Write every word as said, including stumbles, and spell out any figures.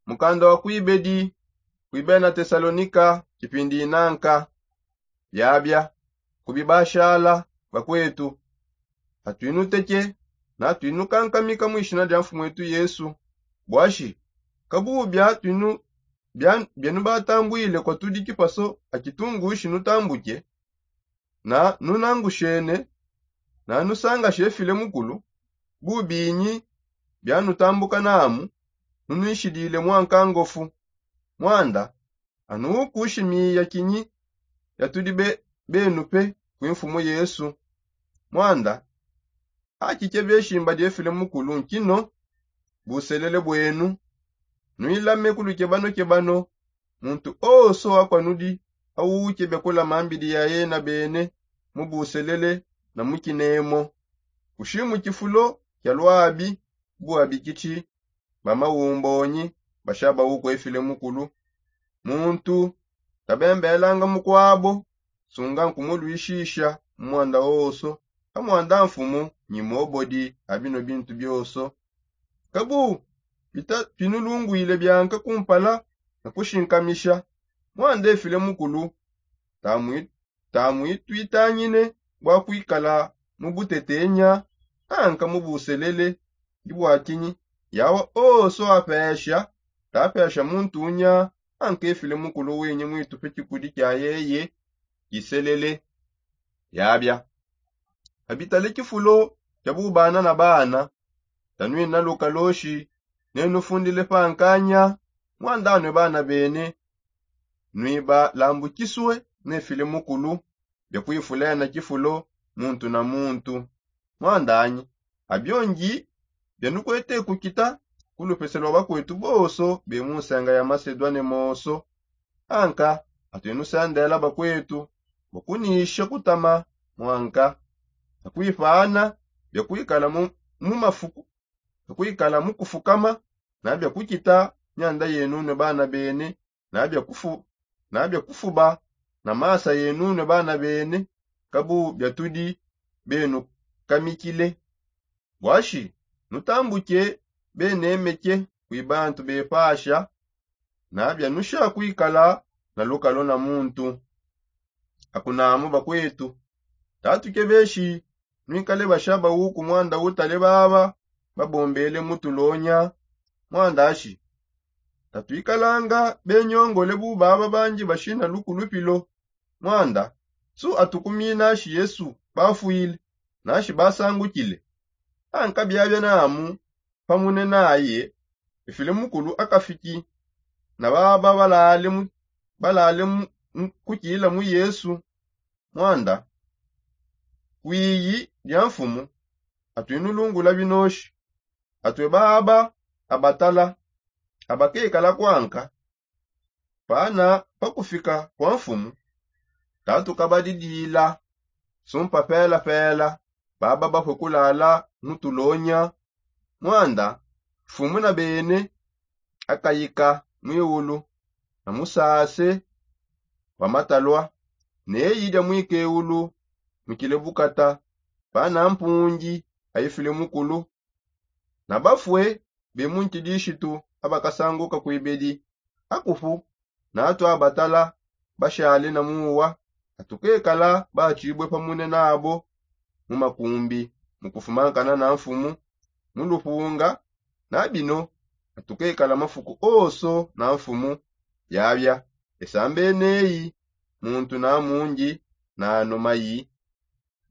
Mukanda wa kuibedi kuibena tesalonika kipindi inanka. Biabia kubibashala bakwetu, atwinuteke na atwinukankamika mu ishina dia mfumu wetu yesu. Bwashi kabubu biatwinu bienu batambwile kwa tudi kipaso akitungushi nutambuke na nunangushene na nusangashe file mukulu? Bubinyi bianutambuka namu nunwishidile mwankangofu? Mwanda anukushimiya kinyi yatudi benu pe kwi mfumu yesu? Mwanda akike beshimba diefile mukulu nkino buselele bwenu. Nwilame ku lukebanokebano muntu oso akwanudi awukebe kulama mbidi ya yena bene mu buselele na mu kinemo. Kushimu kifulo kia lwabi buabikiti bamawumbonyi bashabawuku efile mukulu. Muntu tabembelanga mukwabo sunga nkumulwishisha mu mwanda oso. Amwanda mfumu nyi mobodi a bino bintu bioso. Kabu pinulungwile bianka kumpala na kushinkamisha mwanda efile mukulu. Tamwitwitangine bua kuikala mu butetenya anka mu buselele. Ndi bua kinyi yawa oso apesha tapesha muntu unya anka efile mukulu winyi mwitupe kikudi kia yeye kiselele? Yabia abitale kifulo kia bubana na bana. Tanwina lukaloshi nenufundile pa nkanya mwandanue bana bene. Nwibalambukisue nefile mukulu bia kuifulena kifulo muntu na muntu. Mwandanyi abiongi bianukuete kukita ku lupese lua bakwetu bonso be mu nsenga ya masedua ne moso. Anka atuinusendela bakwetu bua kunisha kutama mwanka na kuipana bia kuikala mu mafuku bia kuikala mu kufukama na bia kukita mianda yenunue bana bene na bia kufuba na masa yenunue bana bene. Kabu biatudi benukamikile bwashi nutambuke benemeke kwi bantu bepasha na bianusha kuikala na lukalo na muntu. Akunamu bakwetu tatukebeshi nuikale bashaba uku mwanda utale baba babombele mu tulonya. Mwanda ashi tatuikalanga benyongole bu baba banji bashina lukulupilo. Mwanda su atukumina ashi yesu bafwile nashi basangukile. Anka biabia namu pamune naye efile mukulu akafiki na baba balale mu kukila mu yesu. Mwanda kwiyi dia mfumu atwinulungula binoshi. Atue baba abatala abakekala kuanka pana pakufika kua mfumu tatukabadidila. Sumpa pelapela baba bapue kulala mu tulonya. Mwanda mfumu na bene akayika mwiulu na musase wa matalua neyi dia mwikewulu mukile bukata pana mpungi aifile mukulu. Na bafue be mu nkidishitu abakasanguka kuibedi akupu na atu abatala bashale na muwa atukekala batshibue pamune nabo mu makumbi mu kufumankana na mfumu mu lupunga. Na bino atukekala mafuku oso na mfumu. Biabia esambeneyi muntu na mungi na anu mayi